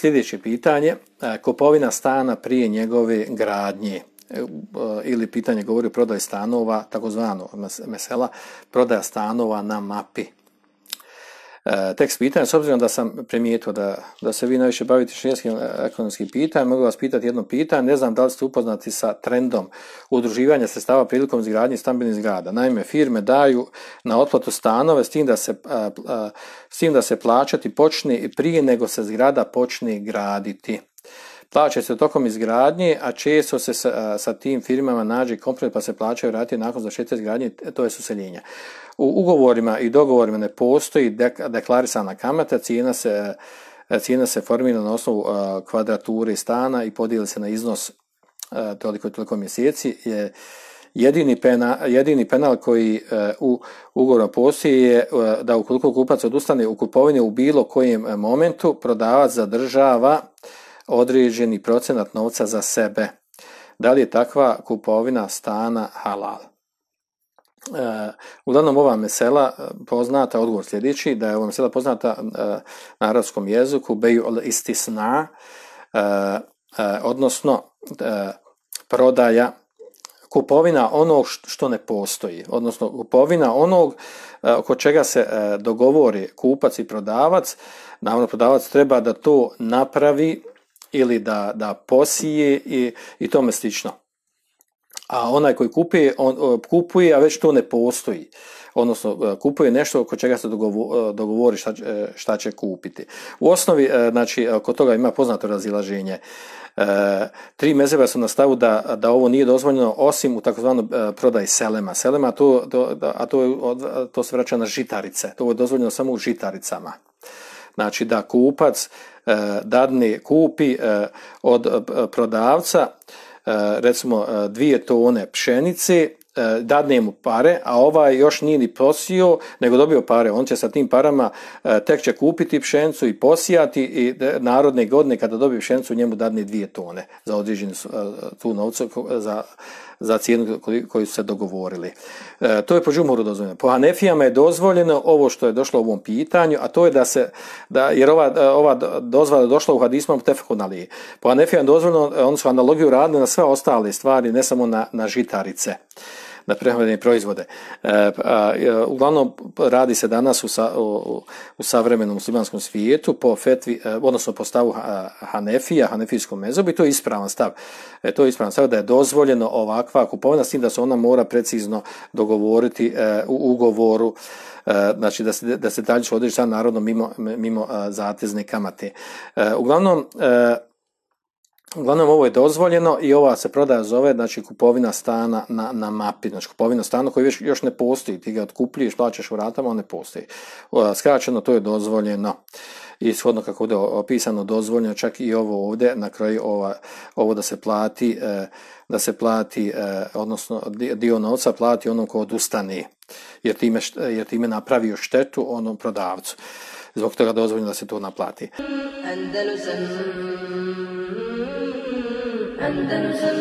sljedeće pitanje, kupovina stana prije njegove gradnje, ili pitanje govori o prodaji stanova, takozvano mesela, prodaja stanova na mapi. Tekst pitanja, s obzirom da sam primijetio da se vi najviše bavite šerijskim ekonomskim pitanjem, mogu vas pitati jedno pitanje, ne znam da li ste upoznati sa trendom udruživanja sredstava prilikom izgradnje stambenih zgrada. Naime, firme daju na otplatu stanove s tim da se plaćati počne i prije nego se zgrada počne graditi. Plaća se tokom izgradnje, a često se sa tim firmama nađe kompromis pa se plaćaju rate nakon završetka izgradnje, to je useljenje. U ugovorima i dogovorima ne postoji deklarisana kamata, cijena se formira na osnovu kvadrature stana i podijeli se na iznos toliko mjeseci. Jedini penal koji u ugovoru postoji je da ukoliko kupac odustane u kupovini u bilo kojem momentu, prodavac zadržava određeni procenat novca za sebe. Da li je takva kupovina stana halal? Uglavnom ova mesela poznata, odgovor sljedeći, da je ova mesela poznata na arapskom jeziku beju istisna, odnosno prodaja, kupovina onog što ne postoji, odnosno kupovina onog oko čega se dogovori kupac i prodavac. Naravno, prodavac treba da to napravi ili da posije i tome slično. A onaj koji kupuje, a već to ne postoji. Odnosno, kupuje nešto oko čega se dogovori šta će kupiti. U osnovi, znači, kod toga ima poznato razilaženje. 3 mezheba su na stavu da ovo nije dozvoljeno osim u takozvanom prodaji selema. Selema, to se vraća na žitarice. To je dozvoljeno samo u žitaricama. Znači da kupac kupi od prodavca recimo 2 tone pšenice, dadne mu pare, a ovaj još nije ni posio, nego dobio pare. On će sa tim parama tek će kupiti pšenicu i posijati i narodne godine kada dobije pšenicu njemu dadne 2 tone za određenu tu novcu za cijenu koju su se dogovorili. To je po džumhuru dozvoljeno. Po Hanefijama je dozvoljeno ovo što je došlo u ovom pitanju, a to je jer ova dozvola je došla u hadismu tefekun alejhi. Po Hanefijama je dozvoljeno, oni su analogiju radili na sve ostale stvari, ne samo na žitarice, na prehrambene proizvode. Uglavnom radi se danas u savremenom muslimanskom svijetu po fetvi, odnosno po stavu Hanefija, hanefijskom mezhebu, i to je ispravan stav. To je ispravan stav da je dozvoljeno ovakva kupovina, s tim da se ona mora precizno dogovoriti u ugovoru, znači da se dalje određi sad narodno mimo zatezne kamate. Uglavnom ovo je dozvoljeno i ova se prodaja zove, znači, kupovina stana na mapi, znači kupovina stana koji još ne postoji, ti ga otkupljuješ, plaćaš u ratama, on ne postoji. Skraćeno, to je dozvoljeno i shodno kako ovdje opisano dozvoljeno, čak i ovo ovdje na kraju ovo da se plati, odnosno dio novca plati onom ko odustane, jer time napravio štetu onom prodavcu. Zbog toga dozvoljeno da se to naplati. Andalusam